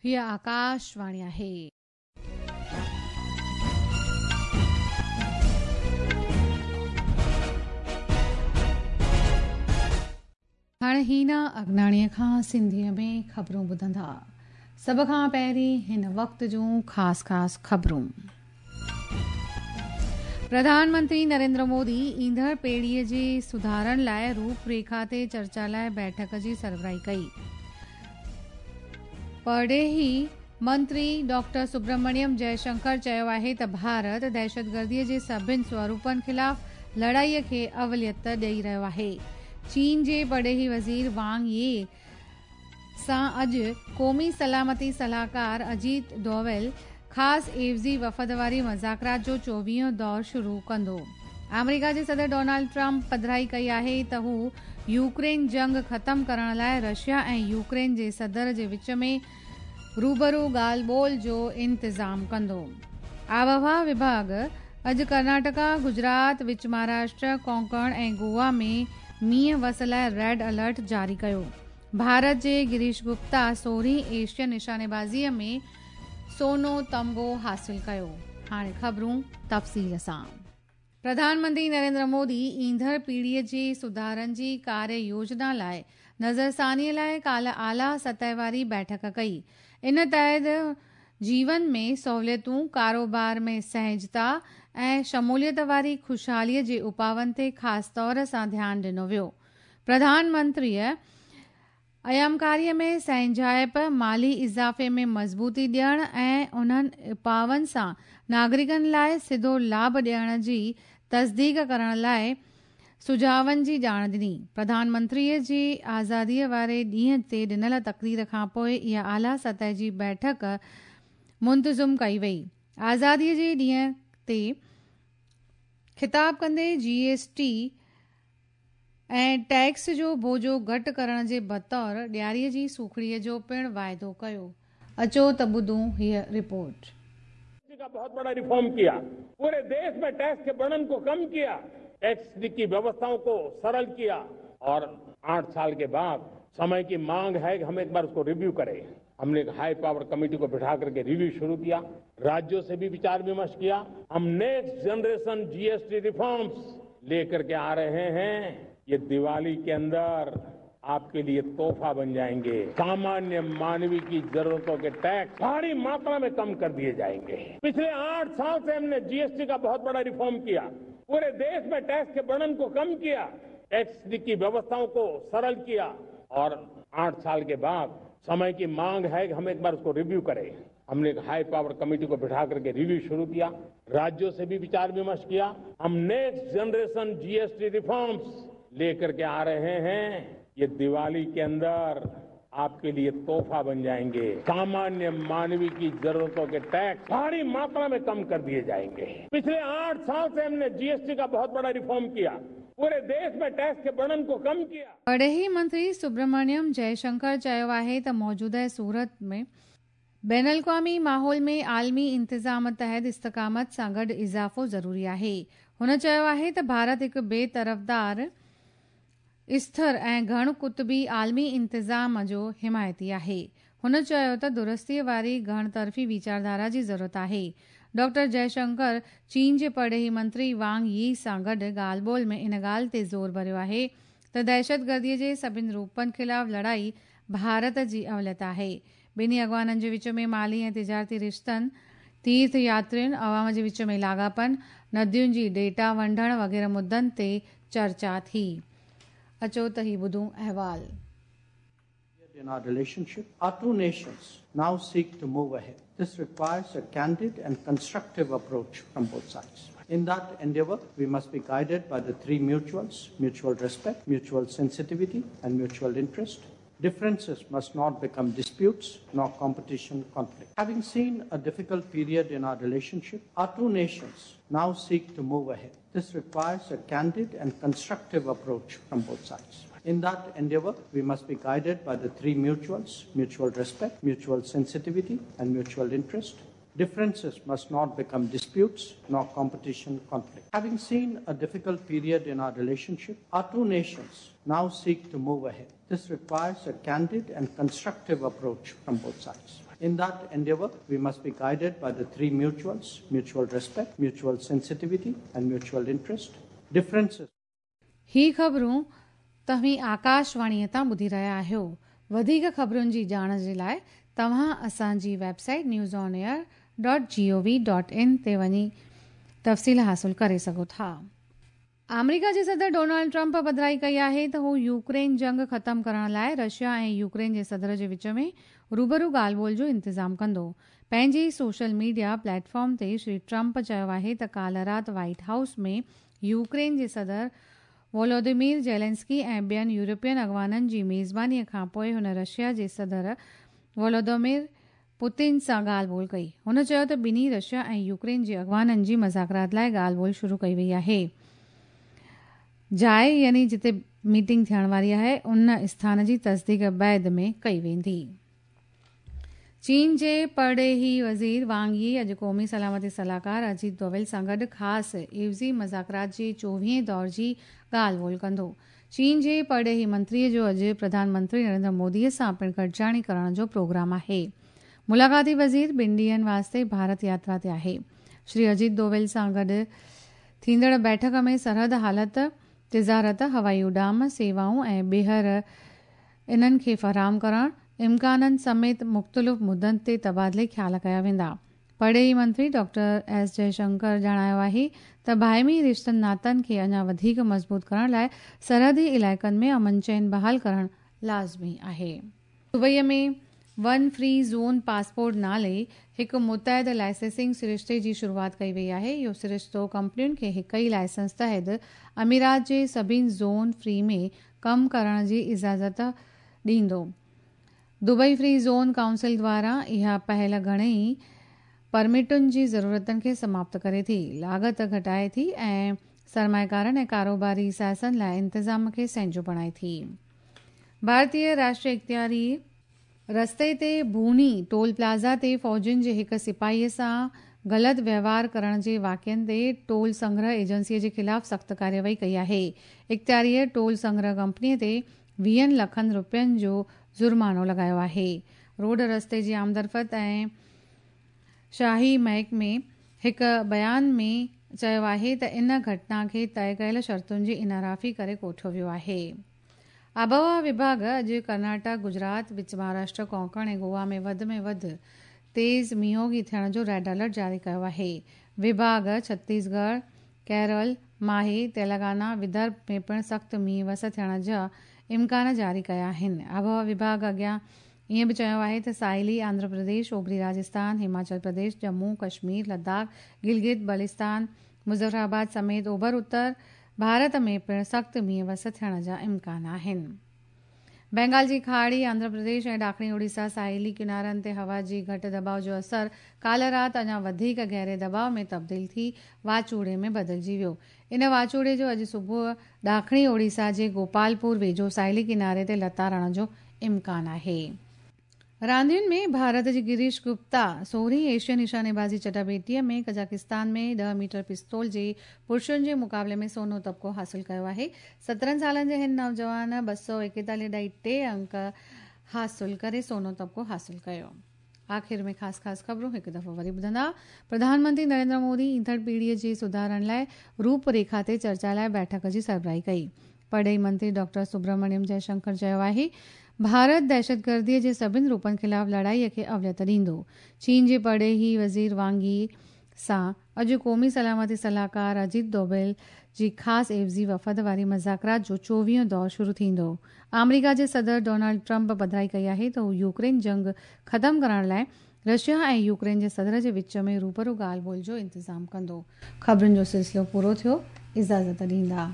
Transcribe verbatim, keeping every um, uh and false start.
हीअ आकाशवाणी आहे। हाणे हीना अगनाणीअ खां सिंधीअ में ख़बरूं ॿुधंदा। सभ खां पहिरीं हिन वक़्त जूं ख़ासि ख़ासि ख़बरूं। प्रधानमंत्री नरेंद्र मोदी ईंदड़ पीढ़ीअ जे सुधारनि लाइ रूपरेखा ते चर्चा लाइ बैठक जी सरबराही कई। परॾेही मंत्री डॉक्टर सुब्रमण्यम जयशंकर चयो आहे त भारत दहशतगर्दीअ जे सभिनी स्वरूपनि ख़िलाफ़ लड़ाईअ खे अवलियत ॾेई रहियो आहे। चीन जे परॾेही वज़ीर वांग यी सां अॼु क़ौमी सलामती सलाहकार अजीत डोवल ख़ासि एवज़ी वफ़द वारी मुज़ाकरात जो चोवीहों दौर शुरू कंदो। आमेरिका जे सदर डोनाल्ड ट्रंप पधराई कई आहे त हू यूक्रेन जंग ख़तमु करण लाइ रशिया ऐं यूक्रेन जे सदर जे विच में रूबरू ॻाल्हि ॿोल जो इंतज़ामु कंदो। आबहवा विभाग अॼु कर्नाटका, गुजरात, विच महाराष्ट्र, कोंकण ऐं गोवा में मींहुं वस लाइ रेड अलर्ट जारी कयो। भारत जे गिरीश गुप्ता सोरहीं एशियन निशानेबाज़ीअ में सोनो तमगो हासिल कयो। हाणे ख़बरूं तफ़सील सां। प्रधानमंत्री नरेंद्र मोदी ईंदड़ पीढ़ीअ जे सुधारनि जी कार्य योजना लाइ नज़रसानीअ लाइ काल्ह आला सतह वारी बैठक कई। इन तहत जीवन में सहूलियतूं, कारोबार में सहजता ऐं शमूलियत वारी ख़ुशहालीअ जे उपाउनि ते ख़ासि तौर सां ध्यानु ॾिनो वियो। प्रधानमंत्रीअ अयामकारीअ में सहंजाइप, माली इज़ाफ़े में मज़बूती ॾियण ऐं उन्हनि उपाउनि सां नागरिकनि लाइ सिधो लाभ ॾियण जी तस्दीक करण लाइ सुझावनि जी ॼाण ॾिनी। प्रधानमंत्रीअ जी आज़ादीअ वारे ॾींहं ते ॾिनल तक़रीर खां पोइ इहा आला सतह जी बैठक मुंतज़िम कई वई। आज़ादीअ जे ॾींहं ते ख़िताब कंदे जीएसटी ऐं टैक्स जो बोझो घटि करण जे बतौर ॾियारीअ जी सूखड़ीअ जो पिणु वाइदो कयो। अचो त ॿुधूं हीअ रिपोर्ट। का बहुत बड़ा रिफॉर्म किया, पूरे देश में टैक्स के बर्डन को कम किया, टैक्स की व्यवस्थाओं को सरल किया और आठ साल के बाद समय की मांग है कि हम एक बार उसको रिव्यू करें। हमने एक हाई पावर कमेटी को बिठा करके रिव्यू शुरू किया, राज्यों से भी विचार विमर्श किया। हम नेक्स्ट जनरेशन जीएसटी रिफॉर्म्स लेकर के आ रहे हैं। ये दिवाली के अंदर आपके लिए तोहफा बन जाएंगे। सामान्य मानवी की जरूरतों के टैक्स भारी मात्रा में कम कर दिए जाएंगे। पिछले आठ साल से हमने जीएसटी का बहुत बड़ा रिफॉर्म किया, पूरे देश में टैक्स के बर्डन को कम किया, टैक्स की व्यवस्थाओं को सरल किया और आठ साल के बाद समय की मांग है कि हम एक बार उसको रिव्यू करें। हमने एक हाई पावर कमेटी को बिठा करके रिव्यू शुरू किया, राज्यों से भी विचार विमर्श किया। हम नेक्स्ट जनरेशन जीएसटी रिफॉर्म्स लेकर के आ रहे हैं। ये दिवाली के अंदर आपके लिए तोहफा बन जाएंगे। सामान्य मानवी की जरूरतों के टैक्स भारी मात्रा में कम कर दिए जाएंगे। पिछले आठ साल से हमने जीएसटी का बहुत बड़ा रिफॉर्म किया, पूरे देश में टैक्स के बर्डन को कम किया। परॾेही मंत्री सुब्रमण्यम जयशंकर चयो आहे त मौजूदा सूरत में बैन अल-अक़वामी माहौल में आलमी इंतज़ाम तहत इस्तिक़ामत सां गॾु इज़ाफ़ो ज़रूरी आहे। हुन चयो आहे त भारत हिकु बेतरफ़दार, स्थिर ऐं घण कुतुबी आलमी इंतज़ाम जो हिमायती आहे। हुन चयो त दुरुस्तीअ वारी घण तरफ़ी वीचारधारा जी ज़रूरत आहे। डॉक्टर जयशंकर चीन जे परॾेही मंत्री वांग यी सां गॾु ॻाल्हि ॿोल में इन ॻाल्हि ते ज़ोर भरियो आहे त दहशतगर्दीअ जे सभिनी रूपनि ख़िलाफ़ लड़ाई भारत जी अवलियत आहे। ॿिन्ही अॻवाननि जे विच में माली ऐं तिजारती रिश्तनि, तीर्थ यात्रियुनि, अवाम जे विच में लाॻापनि, नदियुनि जी डेटा वंडण वग़ैरह मुद्दनि ते चर्चा थी। अचो त ही ॿुधूं अहवाल। In our relationship, our two nations now seek to move ahead. This requires a candid and constructive approach from both sides. In that endeavor, we must be guided by the three mutuals: mutual respect, mutual sensitivity, and mutual interest. Differences must not become disputes, nor competition conflict. Having seen a difficult period in our relationship, our two nations now seek to move ahead. This requires a candid and constructive approach from both sides. In that endeavor, we must be guided by the three mutuals: mutual respect, mutual sensitivity, and mutual interest. Differences must not become disputes, nor competition conflict. Having seen a difficult period in our relationship, our two nations now seek to move ahead. This requires a candid and constructive approach from both sides. In that endeavor, we must be guided by the three mutuals, mutual respect, mutual sensitivity, and mutual interest. Differences. ही ख़बरूं तव्हीं आकाशवाणीअ तां ॿुधी रहिया आहियो। वधीक ख़बरुनि जी ॼाण जे लाइ तव्हां असांजी website news on air dot G O V dot in ते वञी तफ़सील हासिल करे सघो था। आमेरिका जे सदर डोनाल्ड ट्रंप पधराई कई आहे त हू यूक्रेन जंग ख़तमु करण लाइ रशिया ऐं यूक्रेन जे सदर जे विच में रूबरू ॻाल्हि ॿोल जो इंतज़ामु कंदो। पंहिंजे सोशल मीडिया प्लेटफॉर्म ते श्री ट्रंप चयो आहे त काल्ह राति व्हाइट हाउस में यूक्रेन जे सदर वोलोदिमीर जेलेंस्की ऐं ॿियनि यूरोपियन अॻवाननि जी मेज़बानीअ खां पोइ हुन रशिया जे सदर वोलोदिमीर पुतिन सां ॻाल्हि ॿोल कई। हुन चयो त ॿिन्ही रशिया ऐं यूक्रेन जे अॻवाननि जी मज़ाकरात लाइ ॻाल्हि ॿोल शुरू कई वई आहे। जाइ यानी जिते मीटिंग थियण वारी आहे उन स्थान जी तस्दीक बाद में कई वेंदी। चीन जे परॾेही वज़ीर वांग यी अॼु क़ौमी सलामती सलाहकार अजीत डोवल सां गॾु ख़ासि एवज़ी मज़ाकरात जे चोवीहें दौर जी ॻाल्हि ॿोल कंदो। चीन जे परॾेही मंत्रीअ जो अॼु प्रधानमंत्री नरेंद्र मोदीअ सां पिणु गॾिजाणी करण जो प्रोग्राम आहे। मुलाक़ाती वज़ीर ॿिनि ॾींहंनि वास्ते भारत यात्रा ते आहे। श्री अजीत डोवल सां गॾु थींदड़ बैठक में सरहद हालत, तिजारत, हवाई उॾाम सेवाऊं ऐं ॿीहर इन्हनि खे फराहम करण इम्काननि समेत मुख़्तलिफ़ मुद्दनि ते तबादिले ख़्याल कया वेंदा। परॾेही मंत्री डॉक्टर एस जयशंकर ॼाणायो आहे त बाहिमी रिश्तनि नातनि खे अञा वधीक मज़बूत करण लाइ सरहदी इलाइक़नि में अमन चैन बहाल करण लाज़मी आहे। दुबईअ में वन फ्री ज़ोन पासपोर्ट नाले हिकु मुतहद लाइसेंसिंग सरिश्ते जी शुरूआत कई वई आहे। इहो सरिश्तो कंपनियुनि खे हिकु ई लाइसेंस तहत अमीरात जे सभिनी ज़ोन फ्री में कमु करण जी इजाज़त ॾींदो। दुबई फ्री ज़ोन काउंसिल द्वारा इहा पहल घणेई परमिटुनि जी ज़रूरतनि खे समाप्त करे थी, लागत घटाए थी ऐं सरमायकारनि ऐं कारोबारी साइसनि लाइ इंतज़ाम खे सहिंजो बणाए थी। भारतीय राष्ट्रीय इख्तियारी रस्ते ते भूनी टोल प्लाज़ा ते फ़ौजियुनि जे हिकु सिपाहीअ सां ग़लति वहिंवार करण जे वाक़ियनि ते टोल संग्रह एजेंसीअ जे ख़िलाफ़ सख़्तु कार्यवाही कई आहे। इख्तियारीअ टोल संग्रह कंपनीअ ते वीहनि लखनि रुपयनि जो जुर्मानो लॻायो आहे। रोड रस्ते जी आमदरफ़्त ऐं शाही महकमे हिकु बयान में चयो आहे त इन घटना खे तय कयल शर्तुनि जी इनराफ़ी करे कोठियो वियो आहे। आबहवा विभाग अॼु कर्नाटक, गुजरात, विच महाराष्ट्र, कोंकण ऐं गोवा में वधि में वधि तेज़ मींहोगी थियण जो रेड अलर्ट जारी कयो आहे। विभाग छत्तीसगढ़, केरल, माहे, तेलंगाना, विदर्भ में पिणु सख़्तु मींहुं वस थियण जा इम्कान जारी कया आहिनि। आबहवा विभाग अॻियां ईअं बि चयो आहे त साहिली आंध्र प्रदेश, ओभरी राजस्थान, हिमाचल प्रदेश, जम्मू कश्मीर, लद्दाख, गिलगित बलिस्तान, मुज़फ़राबाद समेत ओभर उत्तर भारत में पिणु सख़्तु मींहुं वस थियण जा इम्कान आहिनि। बंगाल जी खाड़ी, आंध्र प्रदेश ऐं ॾाखिणी ओडिशा साहिली किनारनि ते हवा जी घटि दबाव जो असर काल्ह राति अञा वधीक गहरे दबाव में तब्दील थी वाचूड़े में बदिलजी वियो। इन वाचूड़े जो अॼु सुबुह ॾाखिणी ओडिशा जे गोपालपुर वेझो साहिली किनारे ते लतारण जो इम्कान आहे। रांदियुनि में भारत जी गिरीश गुप्ता सोरहीं एशियन निशानेबाज़ी चटाभेटीअ में कज़ाकिस्तान में ॾह मीटर पिस्तौल जे पुरुषनि जे मुक़ाबले में सोनो तबक़ो हासिल कयो आहे। सत्रहं सालनि जे हिन नौजवान ॿ सौ एकेतालीह ॾाई टे अंक हासिल करे सोनो तबक़ो हासिल कयो। आख़िर में ख़ासि ख़ासि ख़बरूं हिकु दफ़ो वरी ॿुधंदा। प्रधानमंत्री नरेंद्र मोदी ईंदड़ पीढ़ीअ जे सुधारनि लाइ रूपरेखा ते चर्चा लाइ बैठक जी सरबराही कई। परॾेही मंत्री डॉक्टर सुब्रमण्यम जयशंकर चयो आहे भारत दहशतगर्दीअ जे सभिनी रूपनि ख़िलाफ़ लड़ाईअ खे अवलियत ॾींदो। चीन जे परॾेही वज़ीर वांग यी सां अॼु क़ौमी सलामती सलाहकार अजीत डोभाल जी ख़ासि एवज़ी वफ़द वारी मज़ाकरात जो चोवीहों दौर शुरू थींदो। आमेरिका जे सदर डोनाल्ड ट्रंप पधराई कई आहे त हू यूक्रेन जंग ख़तमु करण लाइ रशिया ऐं यूक्रेन जे सदर जे विच में रूबरू ॻाल्हि ॿोल जो इंतज़ामु कंदो। ख़बरुनि जो सिलसिलो पूरो थियो। इजाज़त ॾींदा।